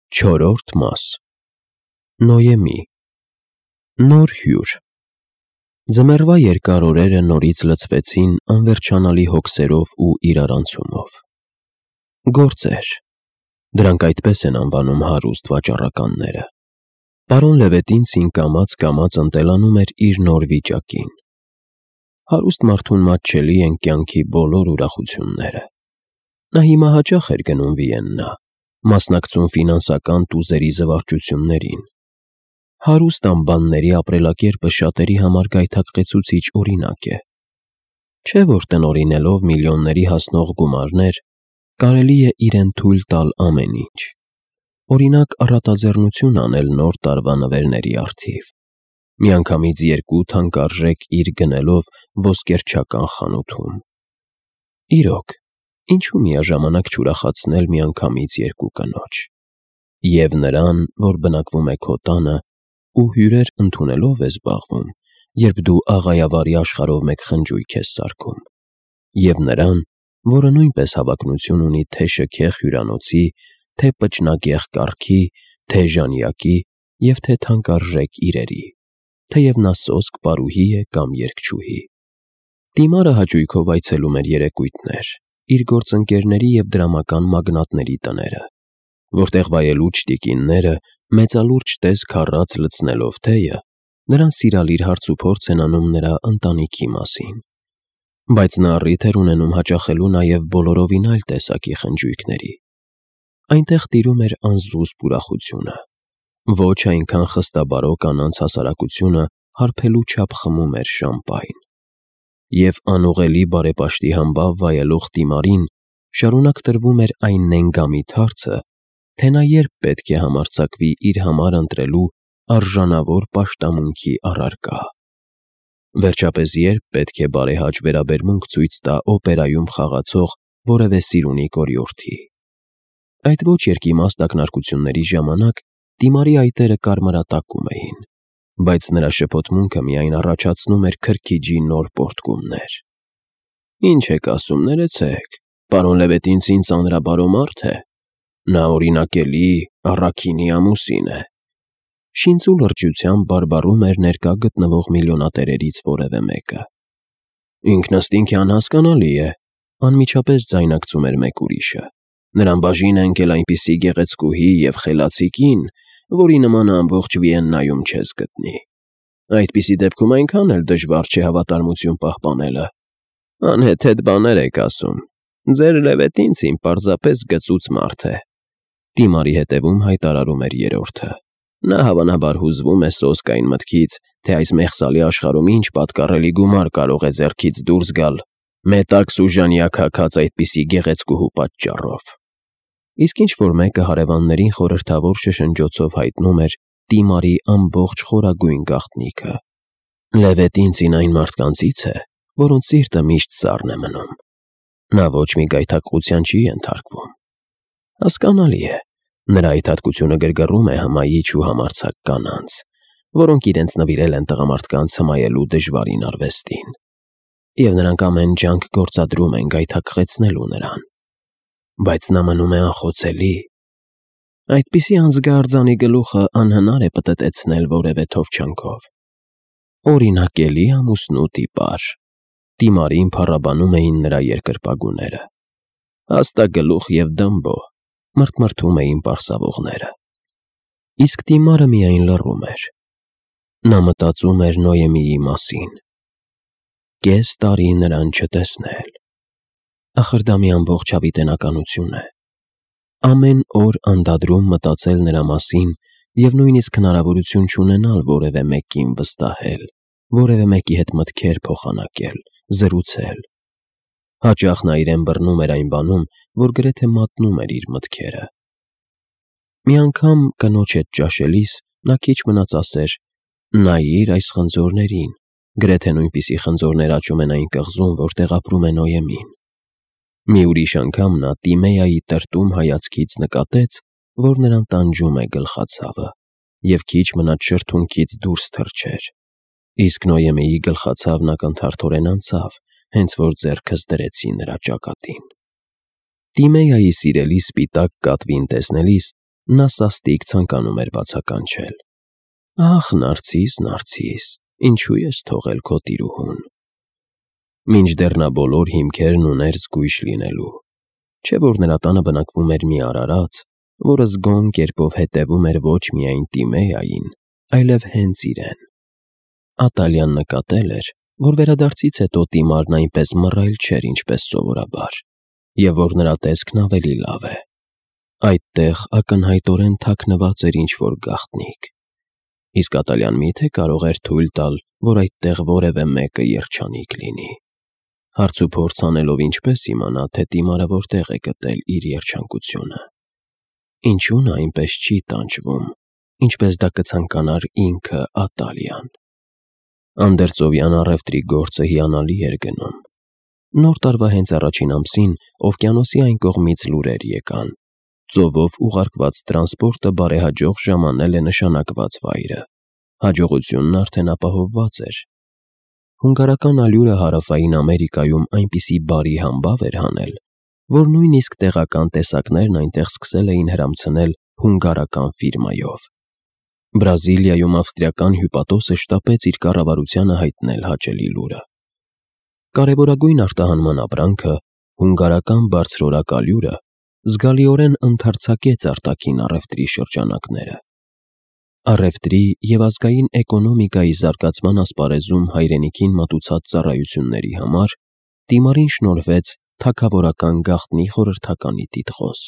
Չորրորդ մաս Նոյեմի Նոր հյուր Ձմեռվա երկար օրերը նորից լցվեցին անվերջանալի հոգսերով ու իրարանցումով։ Գործեր, դրանք այդպես են անվանում հարուստ վաճառականները։ Պարոն Լևետինցին կամաց ընտելանում էր իր նոր վիճակին։ Հարուստ մարդուն մատչելի են կյանքի բոլոր ուրախությունները։ Նա հիմա հաճախ էր գնում Վիեննա, մասնակցում ֆինանսական տուզերի զվարճություններին։ Հարուստ անբանների ապրելակերպը շատերի համար գայթակղեցուցիչ օրինակ է։ Չէ՞ որ տնօրինելով միլիոնների հասնող գումարներ, կարելի է իրեն թույլ տալ ամեն ինչ։ Օրինակ, առատաձեռնություն անել նոր տարվա նվերների առթիվ, միանգամից 2 թանկարժեք իր գնելով ոսկերչական խանութում։ Իրոք, ինչու միաժամանակ չուրախացնել միանգամից 2 կնոջ։ Եվ նրան, որ բնակվում է քո տանը ու հյուրեր ընդունելով է զբաղվում, երբ դու աղայավարի աշխարհով մեկ խնջույք ես սարքում, և նրան, որը նույնպես հավակնություն ունի թե շքեղ հյուրանոցի, թե պճնագեղ կառքի, թե ժանյակի և թե թանկարժեք իրերի, թեև նա սոսկ պարուհի է կամ երգչուհի։ Դիմարը հաճույքով այցելում էր երեկույթներ, իր գործընկերների և դրամական մագնատների տները, որտեղ վայելուչ տիկինները մեծալուրջ տեսք առած լցնելով թեյը, նրան սիրալիր հարցուփորձ են անում նրա ընտանիքի մասին, բայց նա առիթ էր ունենում հաճախելու նաև բոլորովին այլ տեսակի խնջույքների։ Այնտեղ տիրում էր անզուսպ ուրախությունը, ոչ այնքան խստաբարո կանանց հասարակությունը հարբելու չափ խմում էր շամպայն։ Եվ անուղղելի բարեպաշտի համբավ վայելող Տիմարին շարունակ տրվում էր այն նենգամիտ հարցը, թե նա երբ պետք է համարձակվի իր համար ընտրելու արժանավոր պաշտամունքի առարկա։ Վերջապես երբ պետք է բարեհաճ վերաբերմունք ցույց տա օպերայում խաղացող որևէ սիրունի կորյորթի։ Այդ ոչ երկիմաստ ակնարկությունների ժամանակ Տիմարի այտերը կարմրատակում էին, բայց նրա շփոթմունքը միայն առաջացնում էր քրքիջի նոր պոռթկումներ։ Ինչ եք ասում, ներեցեք, պարոն Լևետինցին ծանրաբարո մարդ է։ Նա օրինակելի, առաքինի ամուսին է։ Շինծու լրջությամբ բարբառում էր ներկա գտնվող միլիոնատերերից որևէ մեկը։ Ինքնըստինք անհասկանալի է, անմիջապես ձայնարկում էր մեկ ուրիշը։ Նրան բաժին է ընկել այնպիսի գեղեցկուհի և խելացի կին, որի նմանը ամբողջ Վիեննայում չես գտնի։ Այդպիսի դեպքում այնքան էլ դժվար չէ հավատարմություն պահպանելը։ Անհեթեթ բաներ եք ասում։ Ձեր Լևետինցին պարզապես գծուծ մարդ է։ Տիմարի հետևում հայտարարում էր երրորդը։ Նա հավանաբար հուզվում է սոսկ այն մտքից, թե այս մեղսալի աշխարհում ինչ պատկառելի գումար կարող է ձեռքից դուրս գալ մետաքս ու ժանյակ հագած այդպիսի գեղեցկուհու պատճառով։ Իսկ ինչ-որ մեկը հարևաններին խորհրդավոր շշնջոցով հայտնում էր Տիմարի ամբողջ խորագույն գաղտնիքը։ Լևետինցին այն մարդկանցից է, որոնց սիրտը միշտ սառն է մնում։ Նա ոչ մի գայթակղության չի ենթարկվում։ Հասկանալի է, նրա այդ հատկությունը գրգռում է հմայիչ ու համարձակ կանանց, որոնք իրենց նվիրել են տղամարդկանց հմայելու դժվարին արվեստին, և նրանք ամեն ջանք գործադրում են գայթակղեցնելու նրան։ Բայց նա մնում է անխոցելի։ Այդպիսի անզգա գլուխը անհնար է պտտեցնել որևէ թովչանքով։ Օրինակելի ամուսնու տիպար։ Տիմարին փառաբանում էին նրա երկրպագուները։ Հաստագլուխ և դմբո, մրթմրթում էին պարսավողները։ Իսկ Տիմարը միայն լռում էր։ Նա մտածում էր Նոյեմիի մասին։ Կես տարի նրան չտեսնել։ Ախր դա մի ամբողջ հավիտենականություն է։ Ամեն օր անդադրում մտածել նրա մասին և նույնիսկ հնարավորություն չունենալ որևէ մեկին վստահել, որևէ մեկի հետ մտքեր փոխանակել, զրուցել։ Հաճախ նա իրեն բռնում էր այն բանում, որ գրեթե մատնում էր իր մտքերը։ Մի անգամ կնոջ հետ ճաշելիս նա քիչ մնաց ասեր. «Նայիր այս խնձորներին, գրեթե նույնպիսի խնձորներ աճում են այն կղզում, որտեղ ապրում է Նոյեմին»։ Մի ուրիշ անգամ նա Տիմեայի տրտում հայացքից նկատեց, որ նրան տանջում է գլխացավը, և քիչ մնաց շրթունքից դուրս թռչեր։ Իսկ Նոյեմիի գլխացավն ակնթարթորեն անցավ, հենց որ ձեռքս դրեցի նրա ճակատին։ Տիմեայի սիրելի սպիտակ կատվին տեսնելիս նա սաստիկ ցանկանում էր բացականչել. «Ախ, Նարցիս, Նարցիս, ինչու ես թողել քո տիրուհուն»։ Մինչդեռ նա բոլոր հիմքերն ուներ զգույշ լինելու, չէ՞ որ նրա տանը բնակվում էր մի արարած, որը զգոն կերպով հետևում էր ոչ միայն Տիմեային, այլև հենց իրեն։ Ատալիան նկատել էր, որ վերադարձից հետո Տիմարն այնպես մռայլ չէր, ինչպես սովորաբար, և որ նրա տեսքն ավելի լավ է։ Այդտեղ ակնհայտորեն թաքնված էր ինչ-որ գաղտնիք։ Իսկ Ատալիան մի՞թե կարող էր թույլ տալ, որ այդտեղ որևէ մեկը երջանիկ լինի։ Հարցուփորձ անելով ինչպես իմանա, թե Տիմարը որտեղ է գտել իր երջանկությունը։ Ինչու նա այնպես չի տանջվում, ինչպես դա կցանկանար ինքը Ատալիան։ Անդերձովյան առևտրի գործը հիանալի էր գնում։ Նոր տարվա հենց առաջին ամսին օվկիանոսի այն կողմից լուրեր եկան. ծովով ուղարկված տրանսպորտը բարեհաջող ժամանել է նշանակված վայրը։ Հաջողությունն արդեն ապահովված էր։ Հունգարական ալյուրը Հարավային Ամերիկայում այնպիսի բարի համբավ էր հանել, որ նույնիսկ տեղական տեսակներն այնտեղ սկսել էին հրամցնել հունգարական ֆիրմայով։ Բրազիլիայում ավստրիական հյուպատոսը շտապեց իր կառավարությանը հայտնել հաճելի լուրը։ Կարևորագույն արտահանման ապրանքը, հունգարական բարձրորակ ալյուրը, զգալիորեն ընդարձակեց արտաքին առևտրի շրջանակները։ Առևտրի և ազգային էկոնոմիկայի զարգացման ասպարեզում հայրենիքին մատուցած ծառայությունների համար Տիմարին շնորհվեց թագավորական գաղտնի խորհրդականի տիտղոս։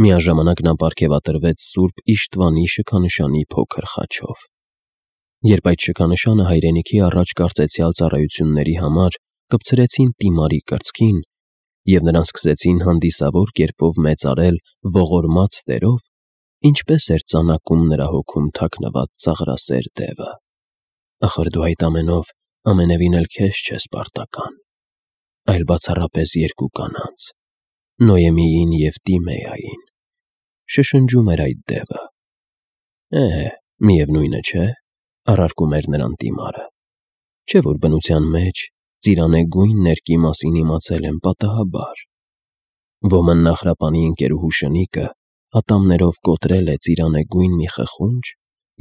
Միաժամանակ նա պարգևատրվեց Սուրբ Իշտվանի շքանշանի փոքր խաչով։ Երբ այդ շքանշանը հայրենիքի առաջ կարծեցյալ ծառայությունների համար կպցրեցին Տիմարի կրծքին, և նրան սկսեցին հանդիսավոր կերպով մեծարել ողորմած տերով, ինչպես էր ծանակում նրա հոգում թաքնված ծաղրասեր դևը։ Ախր դու այդ ամենով ամենևին էլ քեզ չես պարտական, այլ բացառապես երկու կանանց՝ Նոյեմիին և Տիմեային, շշնջում էր այդ դևը։ Միևնույնը չէ, առարկում էր նրան Տիմարը, չէ՞ որ բնության մեջ ծիրանեգույն ներկի մասին իմացել եմ պատահաբար։ Ոմն նախրապանի ընկերուհու շնիկը ատամներով կոտրել է ծիրանեգույն մի խխունջ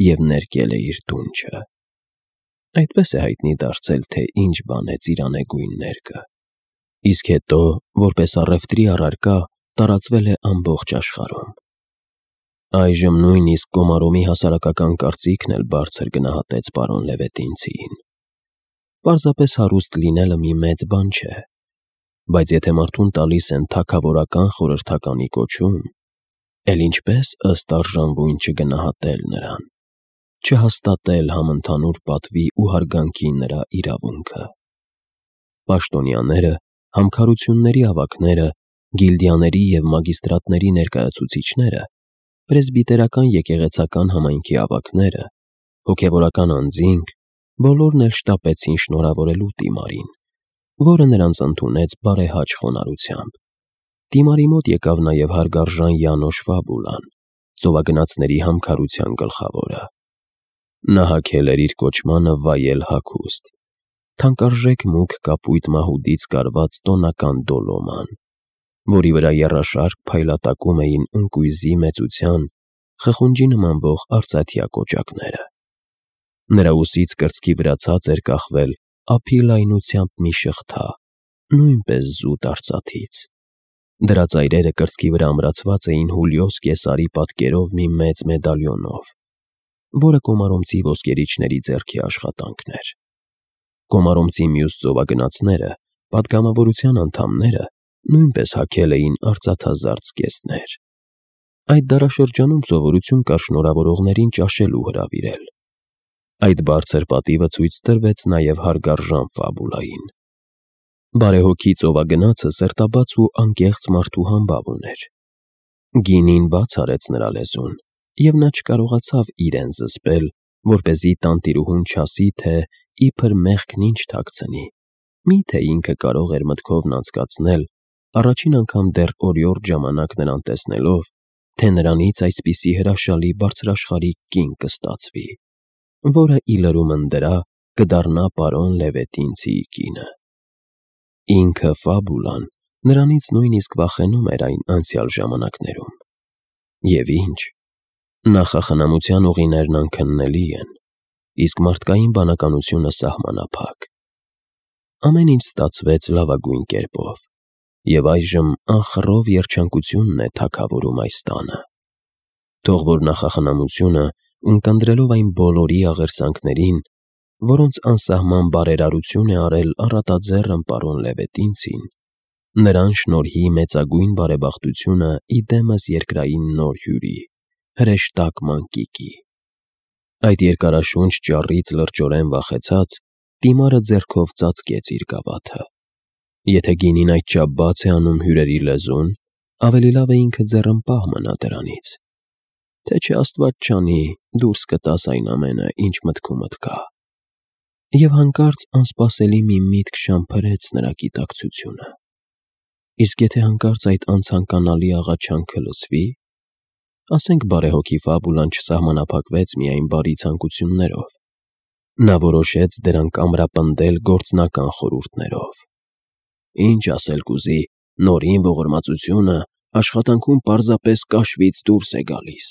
և ներկել է իր դունչը։ Այդպես է հայտնի դարձել, թե ինչ բան է ծիրանեգույն ներկը, իսկ հետո, որպես առևտրի առարկա, տարածվել է ամբողջ աշխարհում։ Այժմ նույնիսկ Կոմարոմի հասարակական կարծիքն էլ բարձր գնահատեց պարոն Լևետինցիին։ Պարզապես հարուստ լինելը մի մեծ բան չէ, բայց եթե մարդուն տալիս են թագավորական խորհրդականի կոչում, էլ ինչպես ըստ արժանվույն չգնահատել նրան, չհաստատել համընդհանուր պատվի ու հարգանքի նրա իրավունքը։ Պաշտոնյաները, համքարությունների ավագները, գիլդիաների և մագիստրատների ներկայացուցիչները, պրեսբիտերական եկեղեցական համայնքի ավագները, հոգևորական անձինք, բոլորն էլ շտապեցին շնորհավորելու Տիմարին, որը նրանց ընդունեց բարեհաճ խոնարհությամբ։ Տիմարի մոտ եկավ նաև հարգարժան Յանոշ Ֆաբուլան, ծովագնացների համքարության գլխավորը։ Նա հագել էր իր կոչմանը վայել հագուստ, թանկարժեք մուգ կապույտ մահուդից կարված տոնական դոլոման, որի վրա եռաշարք փայլատակում էին ընկույզի մեծության, խխունջի նմանվող արծաթյա կոճակները։ Նրա ուսից կրծքի վրա ցած էր կախվել ափի լայնությամբ մի շղթա, նույնպես զուտ արծաթից։ Դրա ծայրերը կրծքի վրա ամրացված էին Հուլիոս Կեսարի պատկերով մի մեծ մեդալիոնով, որը կոմարոմցի ոսկերիչների ձեռքի աշխատանքն էր։ Կոմարոմցի մյուս ծովագնացները, պատգամավորության անդամները, նույնպես հագել էին արծաթազարդ զգեստներ։ Այդ դարաշրջանում սովորություն կար շնորհավորողներին ճաշելու հրավիրել։ Այդ բարձր պատիվը ցույց տրվեց նաև հարգարժան Ֆաբուլային։ Բարեհոգի ծովագնացը սերտաբաց ու անկեղծ մարդու համբավ ուներ։ Գինին բաց արեց նրա լեզուն, և նա չկարողացավ իրեն զսպել, որպեսզի տանտիրուհուն չասի, թե իբր մեղքն ինչ թաքցնի, մի՞թե ինքը կարող էր մտքովն անցկացնել, առաջին անգամ դեռ օրիորդ ժամանակ նրան տեսնելով, թե նրանից այսպիսի հրաշալի բարձրաշխարհիկ կին կստացվի, որը ի լրումն դրա կդառնա պարոն Լևետինցիի կինը։ Ինքը Ֆաբուլան նրանից նույնիսկ վախենում էր այն անցյալ ժամանակներում։ Եվ ինչ, նախախնամության ուղիներն անքննելի են, իսկ մարդկային բանականությունը սահմանափակ։ Ամեն ինչ ստացվեց լավագույն կերպով, և այժմ անխռով երջանկությունն է թագավորում այս տանը։ Թող որ նախախնամությունը, ունկնդրելով այն բոլորի աղերսանքներին, որոնց անսահման բարերարություն է արել առատաձեռն պարոն Լևետինցին, նրան շնորհի մեծագույն բարեբախտությունը ի դեմս երկրային նոր հյուրի, հրեշտակ մանկիկի։ Այդ երկարաշունչ ճառից լրջորեն վախեցած, Տիմարը ձեռքով ծածկեց իր գավաթը։ Եթե գինին այդչափ բաց է անում հյուրերի լեզուն, ավելի լավ է ինքը ձեռնպահ մնա դրանից, թե չէ Աստված չանի, դուրս կտաս այն ամենը, ինչ մտքումդ կա։ Եվ հանկարծ անսպասելի մի միտք շամփրեց նրա գիտակցությունը։ Իսկ եթե հանկարծ այդ անցանկանալի աղաչանքը լսվի, ասենք բարեհոգի Ֆաբուլան չսահմանափակվեց միայն բարի ցանկություններով, նա որոշեց դրանք ամրապնդել գործնական խորհուրդներով։ Ինչ ասել կուզի, նորին ողորմածությունը աշխատանքում պարզապես կաշվից դուրս է գալիս,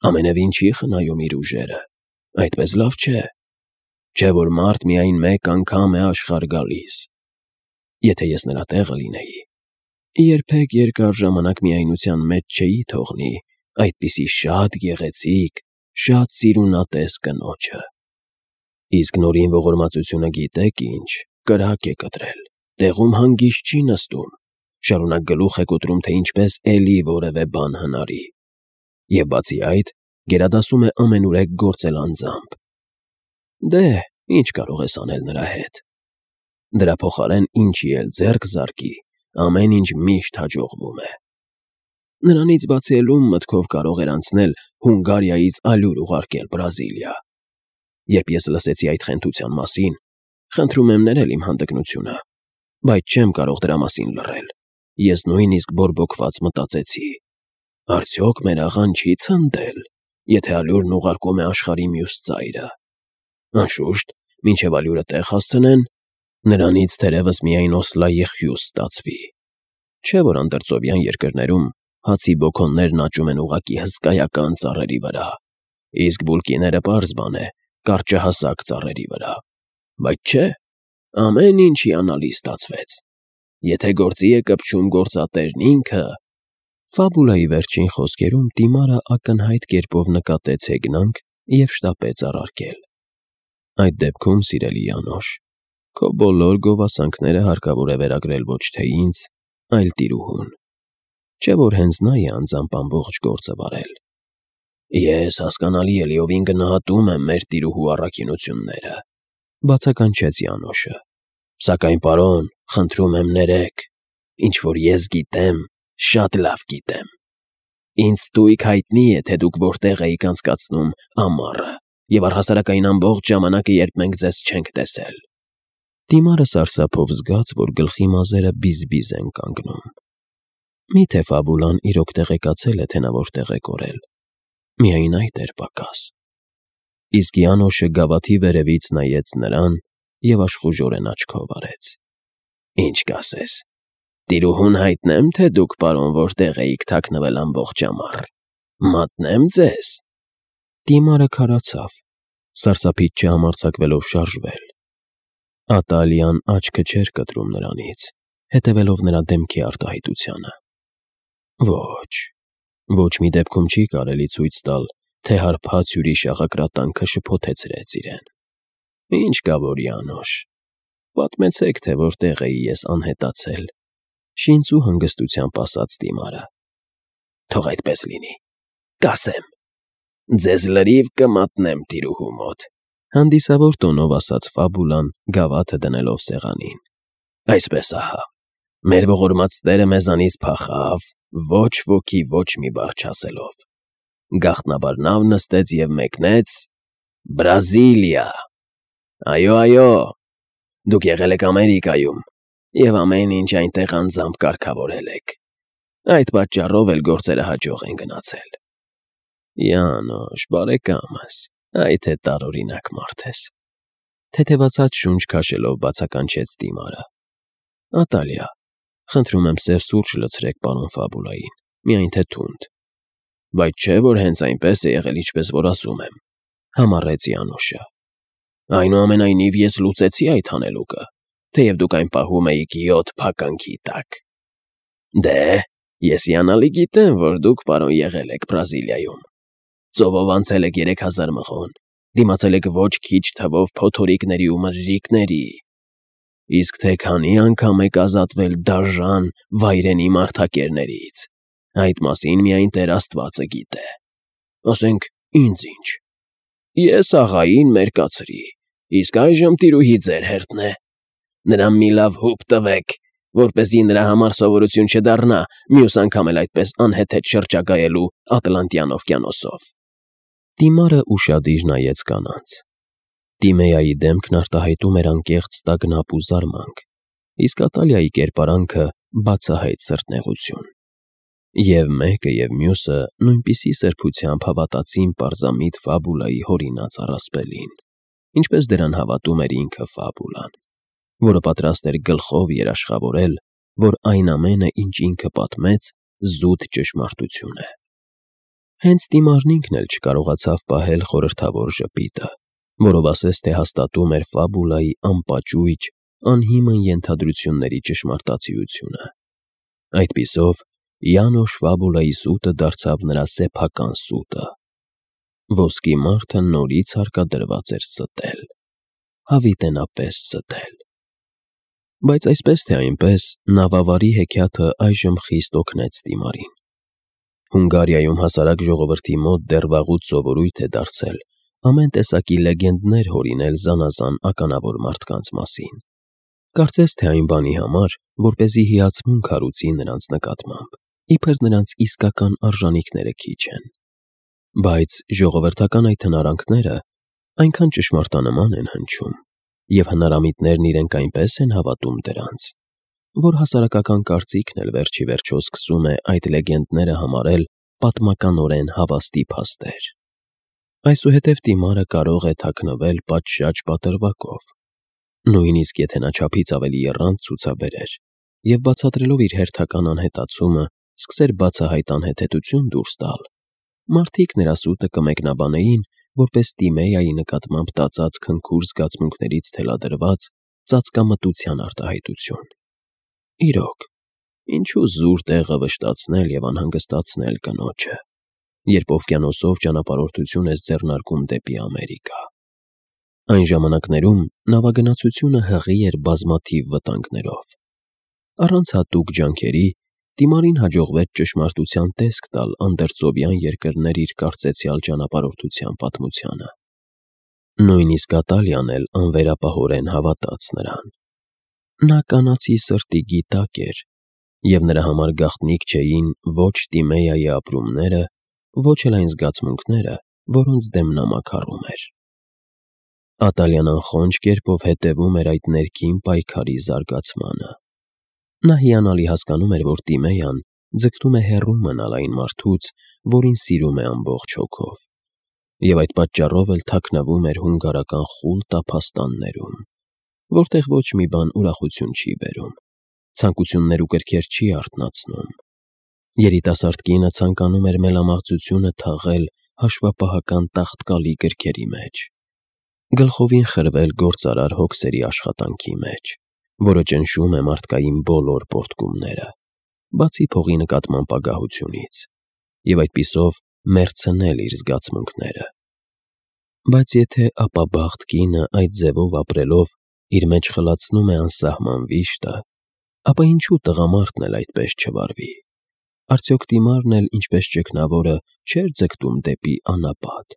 ամենևին չի խնայում իր ուժերը, այդպես լավ չէ, չէ որ մարդ միայն մեկ անգամ է աշխարհ գալիս։ Եթե ես նրա տեղը լինեի, երբեք երկար ժամանակ միայնության մեջ չէի թողնի այդպիսի շատ գեղեցիկ, շատ սիրունատես կնոջը։ Իսկ նորին ողորմածությունը գիտեք ինչ, կրակ է կտրել, տեղում հանգիստ չի նստում, շարունակ գլուխ է կոտրում, թե ինչպես էլի որևէ բան հնարի, և բացի այդ, գերադասում է ամենուրեք գործել անձամբ։ Դե, ինչ կարող ես անել նրա հետ։ Դրա փոխարեն ինչի էլ ձեռք զարկի, ամեն ինչ միշտ հաջողվում է։ Նրանից բացի էլ ում մտքով կարող էր անցնել Հունգարիայից ալյուր ուղարկել Բրազիլիա։ Երբ ես լսեցի այդ խենթության մասին, խնդրում եմ ներել իմ հանդգնությունը, բայց չեմ կարող դրա մասին լռել։ Ես նույնիսկ բորբոքված մտածեցի. արդյոք մեր աղան չի ցնդել, եթե ալյուրն ուղարկում է աշխարհի մյուս ծայրը։ Անշուշտ, մինչև ալյուրը տեղ հասցնեն, նրանից թերևս միայն Օսլայի խյուս ստացվի։ Չէ որ անդրծովյան երկրներում հացի բոքոններն աճում են ուղղակի հսկայական ծառերի վրա, իսկ բուլկիները պարզ բան է, կարճահասակ ծառերի վրա։ Բայց չէ, ամեն ինչ հիանալի ստացվեց։ Եթե գործի է կպչում գործատերն ինքը… Ֆաբուլայի վերջին խոսքերում Տիմարը ակնհայտ կերպով նկատեց հեգնանք և շտապեց առարկել. Այդ դեպքում, սիրելի Յանոշ, քո բոլոր գովասանքները հարկավոր է վերագրել ոչ թե ինձ, այլ տիրուհուն։ Չէ որ հենց նա է անձամբ ամբողջ գործը վարել։ Ես հասկանալի է լիովին գնահատում եմ մեր տիրուհու առաքինությունները, բացականչեց Յանոշը, սակայն, պարոն, խնդրում եմ ներեք, ինչ որ ես գիտեմ, շատ լավ գիտեմ։ Ինձ ստույգ հայտնի է, թե դուք որտեղ էիք անցկացնում ամառը և առհասարակ այն ամբողջ ժամանակը, երբ մենք ձեզ չենք տեսել։ Տիմարը սարսափով զգաց, որ գլխի մազերը բիզ-բիզ են կանգնում։ Միթե Ֆաբուլան իրոք տեղեկացել է, թե նա որտեղ է կորել։ Միայն այդ էր պակաս։ Իսկ Յանոշը գավաթի վերևից նայեց նրան և աշխուժորեն աչքով արեց։ Ինչ կասես, տիրուհուն հայտնեմ, թե դուք, պարոն, որտեղ էիք թաքնվել ամբողջ ամառ, մատնեմ ձեզ։ Տիմարը քարացավ, սարսափից չհամարձակվելով շարժվել։ Ատալիան աչքը չէր կտրում նրանից, հետևելով նրա դեմքի արտահայտությանը։ Ոչ մի դեպքում չի կարելի ցույց տալ, թե հարբած հյուրի շաղակրատանքը շփոթեցրեց իրեն։ Ինչ կա որ, Յանոշ, պատմեցեք, թե որտեղ էի ես անհետացել, շինծու հանգստությամբ ասաց Տիմարը։ Թող այդպես լինի, կասեմ, ձեզ լրիվ կմատնեմ տիրուհու մոտ, հանդիսավոր տոնով ասաց Ֆաբուլան, գավաթը դնելով սեղանին։ Այսպես ահա, մեր ողորմած Տերը մեզանից փախավ, ոչ ոքի ոչ մի բառ չասելով։ Գաղտնաբար նավ նստեց և մեկնեց Բրազիլիա։ Այո, դուք եղել եք Ամերիկայում և ամեն ինչ այնտեղ անձամբ կարգավորել եք։ Այդ պատճառով էլ գործերը հաջող են գնացել։ Յանոշ, բարեկամս, այ թե տարօրինակ մարդ ես։ Թեթևացած շունչ քաշելով բացականչեց Տիմարը։ Ատալիա, խնդրում եմ սև սուրճ լցրեք պարոն Ֆաբուլային, միայն թե թունդ։ Բայց չէ, որ հենց այնպես է եղել, ինչպես որ ասում եմ, համառեց Յանոշը։ Այնուամենայնիվ ես լուծեցի այդ հանելուկը, թեև դուք այն պահում էիք 7 փականքի տակ։ Դե, ես հիանալի գիտեմ, որ դուք, պարոն, եղել եք Բրազիլիայում։ Ծովով անցել եք 3000 մղոն, դիմացել եք ոչ քիչ թվով փոթորիկների ու մրրիկների, իսկ թե քանի անգամ եք ազատվել դաժան վայրենի մարդակերներից, այդ մասին միայն Տեր Աստվածը գիտե։ Ասենք, ինձ ինչ։ Ես աղային մերկացրի, իսկ այժմ տիրուհի ձեր հերթն է։ Նրան մի լավ հուպ տվեք, որպեսզի նրա համար սովորություն չդառնա մյուս անգամ էլ այդպես անհեթեթ շրջագայելու Ատլանտյան օվկիանոսով։ Տիմարը ուշադիր նայեց կանանց։ Տիմեայի դեմքն արտահայտում էր անկեղծ տագնապ ու զարմանք, իսկ Ատալիայի կերպարանքը բացահայտ սրտնեղություն։ Եվ մեկը և մյուսը նույնպիսի սրբությամբ հավատացին պարզամիտ Ֆաբուլայի հորինած առասպելին, ինչպես դրան հավատում էր ինքը Ֆաբուլան, որը պատրաստ էր գլխով երաշխավորել, որ այն ամենը, ինչ ինքը պատմեց, զուտ ճշմարտություն է։ Հենց Տիմարն ինքն էլ չկարողացավ պահել խորհրդավոր ժպիտը, որով ասես թե հաստատում էր Ֆաբուլայի անպաճույճ, անհիմն ենթադրությունների ճշմարտացիությունը։ Այդպիսով Յանոշ Ֆաբուլայի սուտը դարձավ նրա սեփական սուտը։ Ոսկի մարդը նորից հարկադրված էր ստել, հավիտենապես ստել։ Բայց այսպես թե այնպես նավավարի հեքիաթը այժմ խիստ օգնեց Տիմարին։ Հունգարիայում հասարակ ժողովրդի մոտ դեռ վաղուց սովորույթ է դարձել ամեն տեսակի լեգենդներ հորինել զանազան ականավոր մարդկանց մասին։ Կարծես թե այն բանի համար, որպեսզի հիացմունք հարուցի նրանց նկատմամբ, իբր նրանց իսկական արժանիքները քիչ են։ Բայց ժողովրդական այդ հնարանքները այնքան ճշմարտանման են հնչում, և հնարամիտներն իրենք այնպես են հավատում դրանց, որ հասարակական կարծիքն էլ վերջ ի վերջո սկսում է այդ լեգենդները համարել պատմականորեն հավաստի փաստեր։ Այսուհետև Տիմարը կարող է թաքնվել պատշաճ պատրվակով, նույնիսկ եթե նա չափից ավելի եռանդ ցուցաբերեր, և բացատրելով իր հերթական անհետացումը, սկսեր բացահայտ անհեթեթություն դուրս տալ, մարդիկ նրա սուտը կմեկնաբանեին որպես Տիմեայի նկատմամբ տածած քնքուր զգացմունքներից թելադրված ծածկամտության արտահայտություն։ Իրոք, ինչու զուր տեղը վշտացնել և անհանգստացնել կնոջը, երբ օվկիանոսով ճանապարհորդություն ես ձեռնարկում դեպի Ամերիկա։ Այն ժամանակներում նավագնացությունը հղի էր բազմաթիվ վտանգներով։ Առանց հատուկ ջանքերի Տիմարին հաջողվեց ճշմարտության տեսք տալ անդերծովյան երկրներ իր կարծեցյալ ճանապարհորդության պատմությանը։ Նույնիսկ Ատալիան էլ անվերապահորեն հավատաց նրան։ Նա կանացի սրտի գիտակ էր, և նրա համար գաղտնիք չէին ոչ Տիմեայի ապրումները, ոչ էլ այն զգացմունքները, որոնց դեմ նա մաքարում էր։ Ատալիան անխոնջ կերպով հետևում էր այդ ներքին պայքարի զարգացմանը։ Նա հիանալի հասկանում էր, որ Տիմեյան ձգտում է հեռու մնալ այն մարդուց, որին սիրում է ամբողջ հոգով, և այդ պատճառով էլ թաքնվում էր հունգարական խուլ տափաստաններում, որտեղ ոչ մի բան ուրախություն չի բերում, ցանկություններ ու կրքեր չի արթնացնում։ Երիտասարդ կինը ցանկանում էր մելամաղձությունը թաղել հաշվապահական տաղտկալի գրքերի մեջ, գլխովին խրվել գործարար հոգսերի աշխատանքի մեջ, որը ճնշում է մարդկային բոլոր պոռթկումները, բացի փողի նկատմամբ ագահությունից, և այդպիսով մեռցնել իր զգացմունքները։ Բայց եթե ապաբախտ կինը այդ ձևով ապրելով իր մեջ խլացնում է անսահման վիշտը, ապա ինչու տղամարդն էլ այդպես չվարվի։ Արդյոք Տիմարն էլ, ինչպես ճգնավորը, չէր ձգտում դեպի անապատ։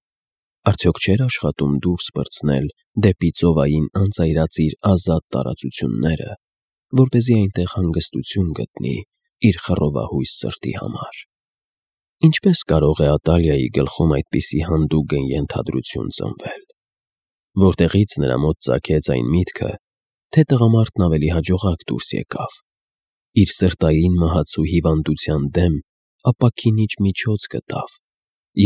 Արդյոք չէր աշխատում դուրս պրծնել դեպի ծովային անծայրածիր ազատ տարածությունները, որպեսզի այնտեղ հանգստություն գտնի իր խռովահույս սրտի համար։ Ինչպես կարող է Ատալիայի գլխում այդպիսի հանդուգն ենթադրություն ծնվել, որտեղից նրա մոտ ծագեց այն միտքը, թե տղամարդն ավելի հաջողակ դուրս եկավ, իր սրտային մահացու հիվանդության դեմ ապաքինիչ միջոց գտավ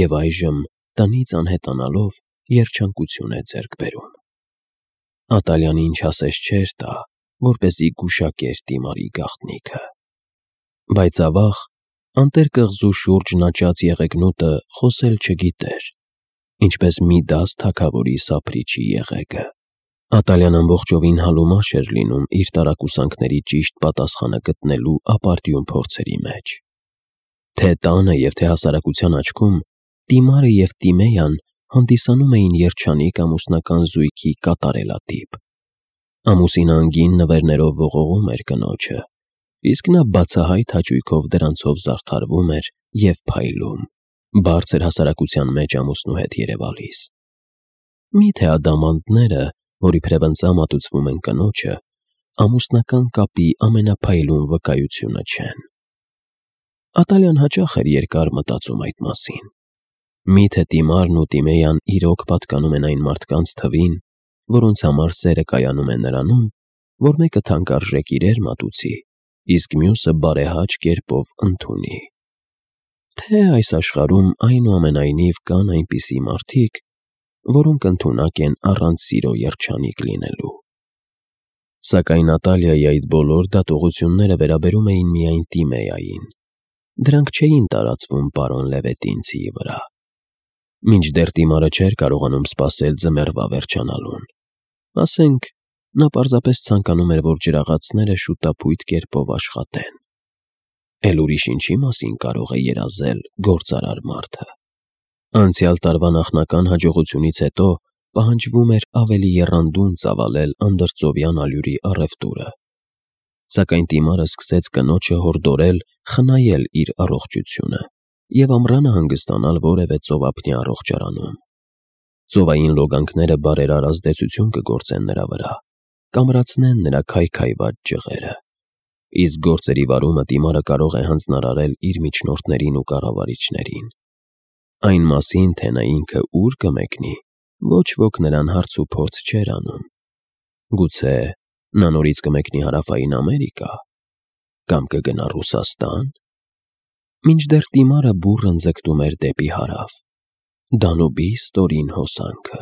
և այժմ տնից անհետանալով երջանկություն է ձեռք բերում։ Ատալիան ինչ ասես չէր տա, որպեսզի գուշակեր Տիմարի գաղտնիքը։ Բայց ավաղ Անտեր կղզու շուրջ աճած եղեգնուտը խոսել չգիտեր, ինչպես Միդաս թագավորի սափրիչի եղեգը։ Ատալյան ամբողջովին հալումաշ էր լինում իր տարակուսանքների ճիշտ պատասխանը գտնելու ապարդյուն փորձերի մեջ։ Թե տանը և թե հասարակության աչքում Տիմարը և Տիմեյան հանդիսանում էին երջանիկ ամուսնական զույգի կատարելատիպ։ Ամուսինը անգին նվերներով ողողում էր կնոջը, իսկ նա բացահայտ հաճույքով դրանցով զարդարվում էր և փայլում, բարձր հասարակության մեջ ամուսնու հետ երևալիս։ Մի՞թե ադամանդները, որ իբրև մատուցվում են կնոջը, ամուսնական կապի ամենափայլուն վկայությունը չեն։ Ատալյան հաճախ էր երկար մտածում այդ մասին։ Մի՞թե Տիմարն ու Տիմեյան իրոք պատկանում են այն մարդկանց թվին, որոնց համար սերը կայանում է նրանում, որ մեկը թանկարժեք իրեր մատուցի, իսկ մյուսը բարեհաճ կերպով ընդունի։ Թե այս աշխարհում այնուամենայնիվ կան այնպիսի մարդիկ, որոնք ընդունակ են առանց սիրո երջանիկ լինելու։ Սակայն Ատալիայի այդ բոլոր դատողությունները վերաբերում էին միայն Տիմեային։ Դրանք չէին տարածվում պարոն Լևետինցիի վրա։ Մինչդեռ Տիմարը չէր կարողանում սպասել ձմեռվա վերջանալուն։ Ասենք, նա պարզապես ցանկանում էր, որ ջրաղացները շուտափույթ կերպով աշխատեն։ Էլ ուրիշ ինչի մասին կարող է երազել գործարար մարդը։ Անցյալ տարվա նախնական հաջողությունից հետո պահանջվում էր ավելի եռանդուն ծավալել անդրծովյան allure-ի առևտուրը։ Սակայն Տիմարը սկսեց կնոջը հորդորել խնայել իր առողջությունը և ամռանը հանգստանալ որևէ ծովափնյա առողջարանում։ Ծովային լոգանքները բարերար ազդեցություն կգործեն նրա վրա, կամրացնեն նրա քայքայված ջղերը, իսկ գործերի վարումը Տիմարը կարող է հանձնարարել իր միջնորդներին ու կառավարիչներին։ Այն մասին, թե նա ինքը ուր կմեկնի, ոչ ոք նրան հարց ու փորձ չէր անում։ Գուցե նա նորից կմեկնի Հարավային Ամերիկա, կամ կգնա Ռուսաստան։ Մինչդեռ Տիմարը բուռն ձգտում էր դեպի հարավ, Դանուբի ստորին հոսանքը։